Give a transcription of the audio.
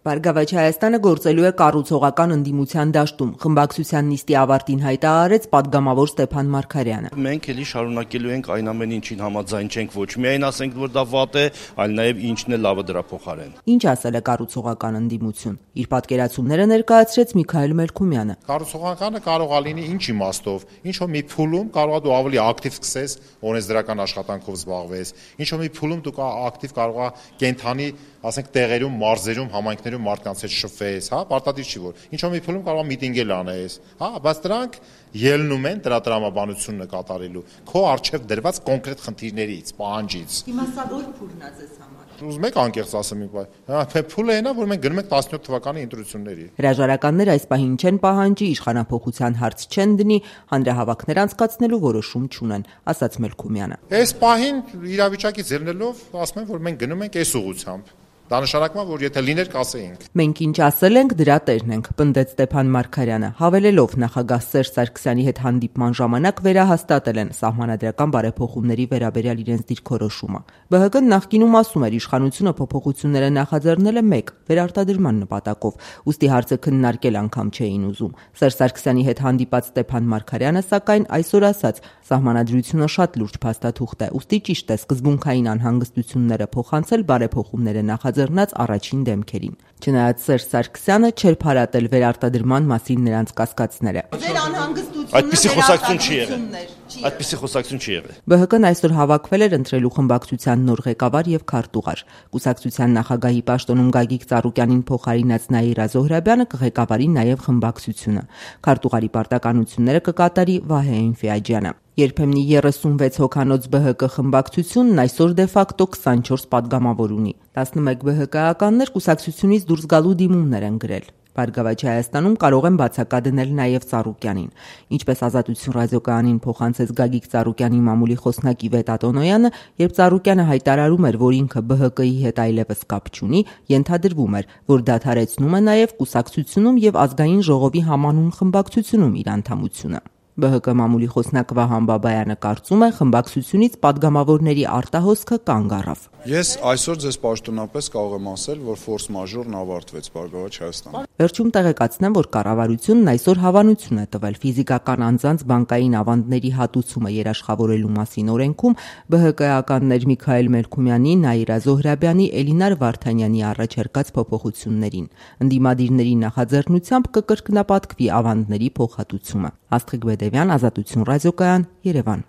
Բարգավաճ Հայաստանը գործելու է կառուցողական ընդդիմության դաշտում, խմբակցության նիստի ավարտին հայտարարեց պատգամավոր Ստեփան Մարգարյանը։ Մենք էլի շարունակելու ենք այն ամեն ինչին համաձայն չենք, ոչ միայն ասենք, որ դա վատ է, այլ նաև ինչն է լավը դրա փոխարեն։ Ինչ ասել է կառուցողական ընդդիմություն։ Իր պատկերացումները ներկայացրեց Միքայել Մելքումյանը։ Կառուցողականը կարող է լինի ինչ իմաստով, ինչ որ մի փուլում կարող է դու ավելի ակտիվ սկսես, օրենսդրական աշխատանքով զբաղվես, ինչ որ մի փուլում դու ակտիվ կարող է կենթանի, ասենք տեղերում, մարզերում, համայնքներում մարդկանց հետ շփվես, հա, պարտադիր չի որ։ Ինչ որ մի փուլում կարող է միտինգել անես, հա, բայց դրանք ելնում են դրա տրամաբանությունը կատարելու քո արժև դրված կոնկրետ խնդիրներից, պահանջից։ Հիմա սա որ փուլն է ձեզ համար։ Ուզում եք անկեղծ ասեմ, փուլը այն է, որ մենք գնում ենք 17 թվականի ընտրությունների։ Հրաժարականներ այս պահին չեն պահանջի, իշխանափոխության հարց չեն դնի, հանրահավաքներ անցկացնելու որոշում չունեն, ասաց Մելքումյանը։ Այս պահին իրավիճակից ելնելով ասում եմ, որ մենք գնում ենք այս ուղղությամբ։ Դա նշանակում է, որ եթե լիներ կասեինք։ Մենք ինչ ասել ենք, դրա տերն ենք, պնդեց Ստեփան Մարգարյանը, հավելելով նախագահ Սերժ Սարգսյանի հետ հանդիպման ժամանակ վերահաստատել են սահմանադրական բարեփոխումների վերաբերյալ իրենց դիրքորոշումը։ ԲՀԿ-ն նախկինում ասում էր իշխանությունը փոփոխությունները նախաձեռնել է մեկ վերարտադրման նպատակով, ուստի հարցը քննարկել անգամ չէին ուզում։ Սերժ Սարգսյանի հետ հանդիպած Ստեփան Մարգարյանը սակայն այսօր ասաց, սահմանադրությունը շատ լուրջ փաստաթուղթ է, ուստի ճիշտ է սկզբունքային անհանգստությունները փոխանցել բարեփոխումները նախաձեռնած առաջին դեմքերին։ Չնայած Սերժ Սարգսյանը չէր փարատել վերարտադրման մասին նրանց կասկածները։ Այդպիսի խոսակցություն չի եղել։ Այդպիսի խոսակցություն չի եղել։ ԲՀԿ-ն այսօր հավաքվել էր ընտրելու խմբակցության նոր ղեկավար եւ քարտուղար։ Կուսակցության նախագահի պաշտոնում Գագիկ Ծառուկյանին փոխարինած Նաիրա Զոհրաբյանը կղեկավարի նաեւ խմբակցությունը։ Քարտուղարի պարտականությունները կկատարի Վահե Էնֆիաջյանը։ Երբեմնի 36 հոգանոց ԲՀԿ խմբակցությունն այսօր դեֆակտո 24 падգամավոր ունի։ 11 ԲՀԿ-ականներ կուսակցությունից դուրս գալու դիմումներ են գրել։ Բարգավաճ Հայաստանում կարող են բացակա դնել նաև Ծառուկյանին։ Ինչպես Ազատություն ռադիոկայանին փոխանցեց Գագիկ Ծառուկյանի մամուլի խոսնակի Վետա Տոնոյանը, երբ Ծառուկյանը հայտարարում էր, որ ինքը ԲՀԿ-ի հետ այլևս կապ չունի, ենթադրվում էր, որ դադարեցնում է նաև կուսակցությունում եւ ազգային ժողովի համանուն խմբակցությունում իր անդամությունը։ ԲՀԿ մամուլի խոսնակ Վահան Բաբայանը կարծում է, խմբակցությունից падգամավորների արտահոսքը կանգ առավ։ Ես այսօր ձեզ պաշտոնապես կարող եմ ասել, որ ֆորս մաժորն ավարտվեց Բարգավաճ Հայաստանում։ Վերջում տեղեկացնեմ, որ կառավարությունն այսօր հավանություն է տվել ֆիզիկական անձանց բանկային ավանդների հատուցումը երաշխավորելու մասին օրենքում ԲՀԿ-ականներ Միքայել Մելքումյանի, Նաիրա Զոհրաբյանի, Էլինար Վարդանյանի առաջարկած փոփոխություններին։ Ընդդիմադիրների նախաձեռնությամբ կկրկնապատկվի ավանդների փոխհատուցումը։ Աստղիկ Բեդևյան, Ազատություն ռադիոկայան, Երևան։